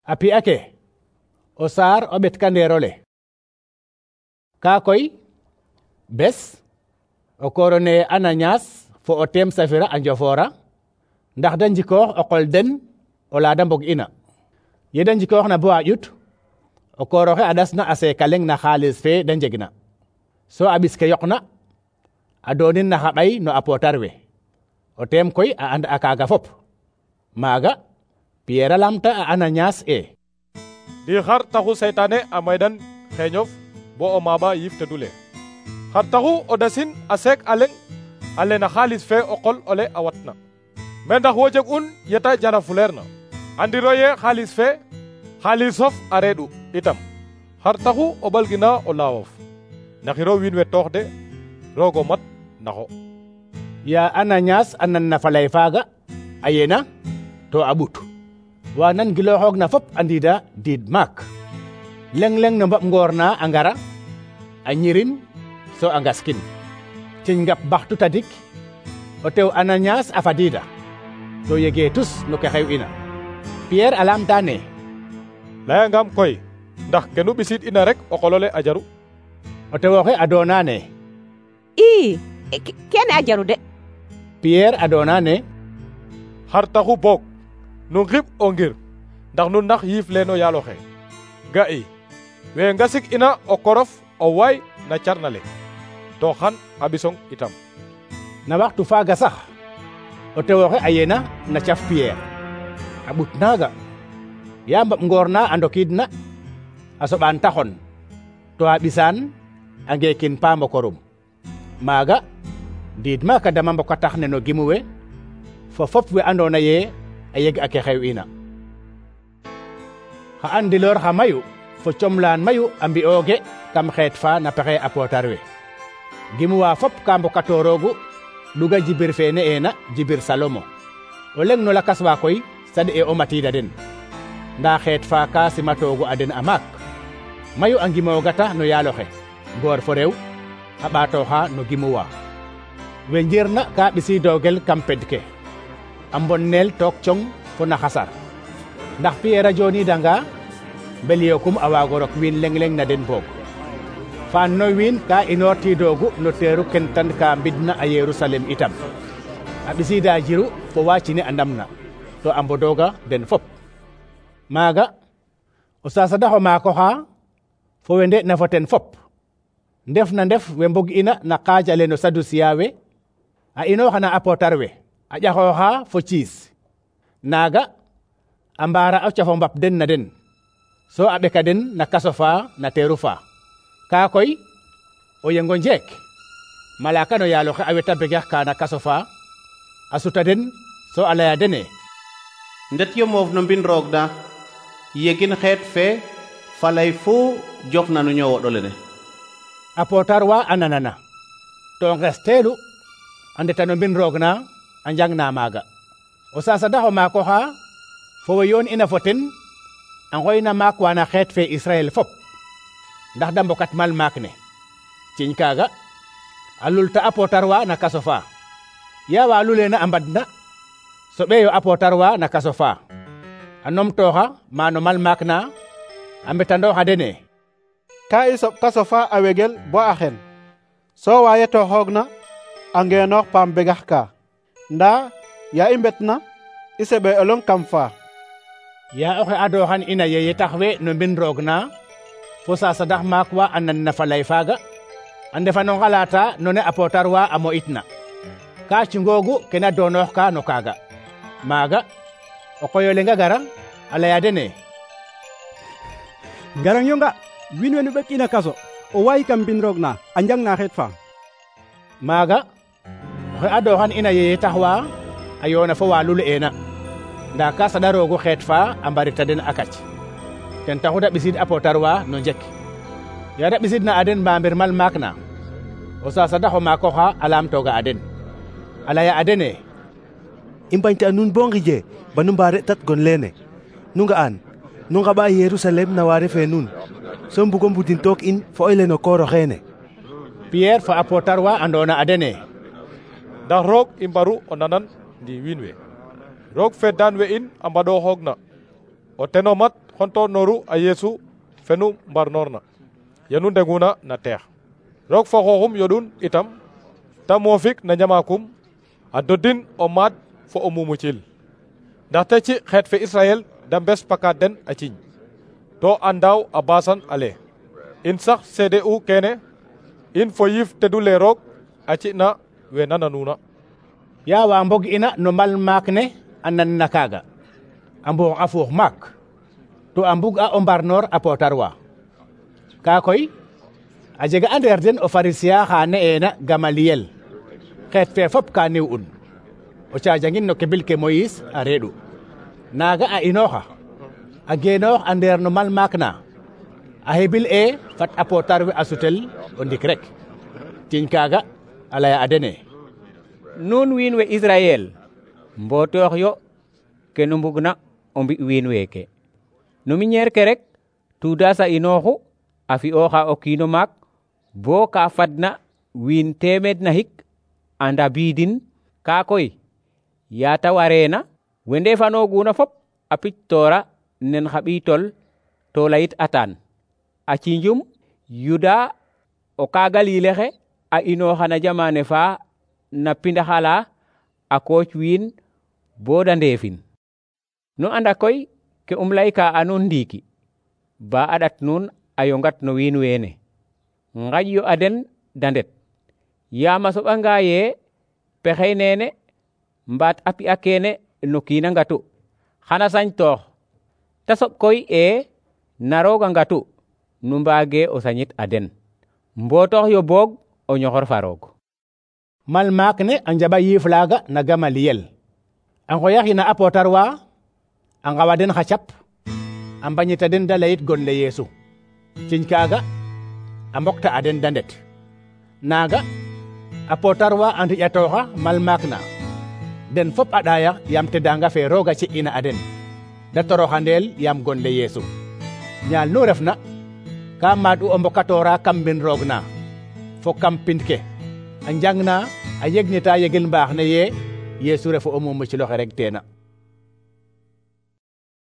a pi'a ke o saar o ɓetkandeerole. Kaa koy bes o koorone Ananias fo o teem Safira a njofoora ndax da njikoox o qol den o la da mbog ina. Ye da njikoox na bo a ƴut o kooroxe a ɗasna a seeka leŋ na xaalis fe da njegna, so a ɓis ke yoqna a doonin na xa ɓay no a pootar we. O teem koy a and a kaaga fop. Maaga Pierre a lamta a Ananias ndi xar taxu seytaane a maydan xeeñof bo o maaba yiif tedule? Xar taxu o dasin a seek a leŋ ale na xaalis fe o qol ole a watna? Me ndax wo jeg un yeta jara fuleer na? Andiro ye xaalisof a reeɗu itam. Xar taxu o ɓalgina o laawof? naxiro wiin we toox de, roogo mat naxo. Ya Ananias a nan na falay faaga a yena to a ɓut. Wa nan gilooxoog na fop a ndiida diid maak. Leŋ-leŋ no mbaɓ ngoor na a ngara a ñirin so a ngaskin. Ciñ ngap baxtu tadik o tew Ananias a fadiida to yegee tus no ke xew ina. Pierre a lamta ne layangam koy ndax kenu ɓisid ina rek o qolole a jaru? O tewoxe a doona ne kene a jaru de. Pierre a doona ne xar taxu boog nu ngib o ngir ndax nu nax yiif leeno yaaloxe. Ga'i we ngasik ina o korof o waay na carna le to xan a ɓisong itam. Na waxtu faaga sax o tewoxe a yena na caf Pierre a ɓut naaga. Ya mbaɓ ngoor na a ndokiidna a soɓaan taxon to a ɓisaan a ngeekin paam o korum. Maaga ndiid maaka dama mboka tax ne no gimu we fo fop we andoona ye a yeg a ke xew ina. Xa andiloor xa mayu fo comlaan mayu a mbi'ooge kam xeet fa na pexe a pootar we. Gimuwa fop ka mbokatooroogu ɗuga jibir fe ne'eena jibir Salomo. O leŋ no lakas wa koy saɗ'e o matiida den. Ndaa xeet fa ka simatoogu a den a maak. Mayu a ngimoogata no yaaloxe, ngoor fo rew a ɓaatooxa no gimuwa. We njirna ka ɓisiidoogel kam ped ke a mbonneel took cong fo na xasar. Ndax Pierre a jooniidanga mbel yokum a waago rok wiin leŋ-leŋ na den boog. Faan no wiin ka inoortiidoogu no teeru kentan ka mbidna a Yerusalem itam. A ɓisiida jiru fo wa cine a ndamna to a mbodooga den fop. Maaga o sasadaxo maako xa fo we nde'na fo ten fop ndef na ndef we mbog ina na qaaj ale no Sadusiya we a inooxana a pootar we a ƴaxooxa fo ciis. Naaga a mbaara o cafo mbap den na den so a ɓeka den na kaso fa na teeru fa. Kaa koy o yengo njeek malaaka no yaaloxe a weta begex ka na kaso fa a suta den so a laya dene ndet yo moof no mbin roog na yegin xeet fe falay fu jof na no ñowoɗole ne. A pootar wa a nanana to ngesteelu a ndeta no mbin roog na a njang na maaga. O sasadaxo maako xa fo we yoon ina fo ten a ngoyna maak wa na xeet fe Israel fop ndax da mbokat mal maak ne. Ciñ kaaga a lulta a pootar wa na kaso fa. Ya wa luleena a mbadna soɓeeyo a pootar wa na kaso fa a nomtooxa maano mal maak na a mbetandooxa dene ka i soɓ kaso fa a wegel bo a xen so waaye to xoogna a ngeenoox paam begax ka ndaa ya i mbetna i seɓe olong kam fa. Ya oxe adooxan ina yeye tax we no mbin roog na fo sasadax maak wa a nan na falay faaga a ndefa no ngalaata no ne a pootar wa a mo'itna ka cungoogu kena doonoox ka no kaaga. Maaga o qoyo lenga gara a laya dene ngarang yo nga wiin we nu ɓek'ina kaso o waayi kam mbin roog na a njang na xeet fa. Maaga oxe adooxan ina yeye tax wa a yoona fo wa lul'eena ndaa ka saɗa roogu xeet fa a mbarita den a kac. Ten taxu da ɓisiid a pootar wa no njek. Ya da ɓisiidna a den mbamir mal maak na o sasadaxo maako xa a laamtooga a den a laya a dene i mbañta nuun bo ngije ba nu mbaare tat gon leene nu nga'an nu ngaɓa Yerusalem na waare fe nuun so mbugo mbudin took in fo oy le no kooro xeene. Pierre fa a pootar wa andoona a dene ndax roog i mbaru o nanan ndi wiin we. Roog fe daan we in a mbaɗooxoogna o teno mat xonto noru a Yesu fenu mbarnorna yenu ndeguna na teex roog fo xooxum yodun itam ta moofik na ñamakum a dodin o maad fo o mumucil ndaxte ci xeet fe Israel da mbes pakaat den a ciñ to a ndaaw a basan ale in sax seede u kene in fo yiif tedule roog a ci na we nananuna ya wa mbog ina no mbal maak ne a nan na kaaga a mboox a fuux maak to a mbug a o mbarnoor a pootar wa ka koy a jega a ndeer den o pharisiya xa ne'eena Gamaliyel xeet fe fop ka niw un o caajangin no kebil ke Moïse a reeɗu naaga a inooxa a geenoox a ndeer no mal maak na a hebil fat a pootar we a sutel o ndik rek tiñ kaaga a laya a dene nuun wiin we Israel mbotoox yo ke nu mbugna o mbi wiin weeke no miñeer ke rek tuudas a inooxu a fi'ooxa o kiino maak bo ka fadna wiin teemeed na hik a ndabiidin ka koy yaata wareena we ndeefanooguna fop a pictoora nen xa ɓiitol to layit atan a ciinjum Yuda o kaagaliile xe a inooxa na jamane fa na pindaxala a kooc wiin bo da ndeefin nu anda koy ke layka a nuun ndiiki ba a ɗat nuun a yongat no wiin weene ngaƴ yo a den da ndet yaam a soɓanga ye pexey neene mbaat a pi'a keene no kiina ngatu xana sañtoox ta soɓ koy na rooga ngatu nu mbaage o sañit a den mbotoox yo boog o ñoxor fa roog mal maak ne a njaɓa yiif laaga na Gamaliyel a ngoyaxina a pootar wa a ngawa den xa cap a mbañita den da layit gon le Yeesu ciñ kaaga a mbokta a den da ndet naaga a pootar wa a ndiƴatooxa mal maak na den fop a ɗaaya yaam tedanga fe rooga ci'ina a den da toroxandeel yaam gon le Yeesu ñaal nu refna ka maad u o mbokatoora kam mbin roog na fo kam pind ke a njang na a yegnita yegel mbaax ne ye Yeesu refu o mumuciloxe rek teena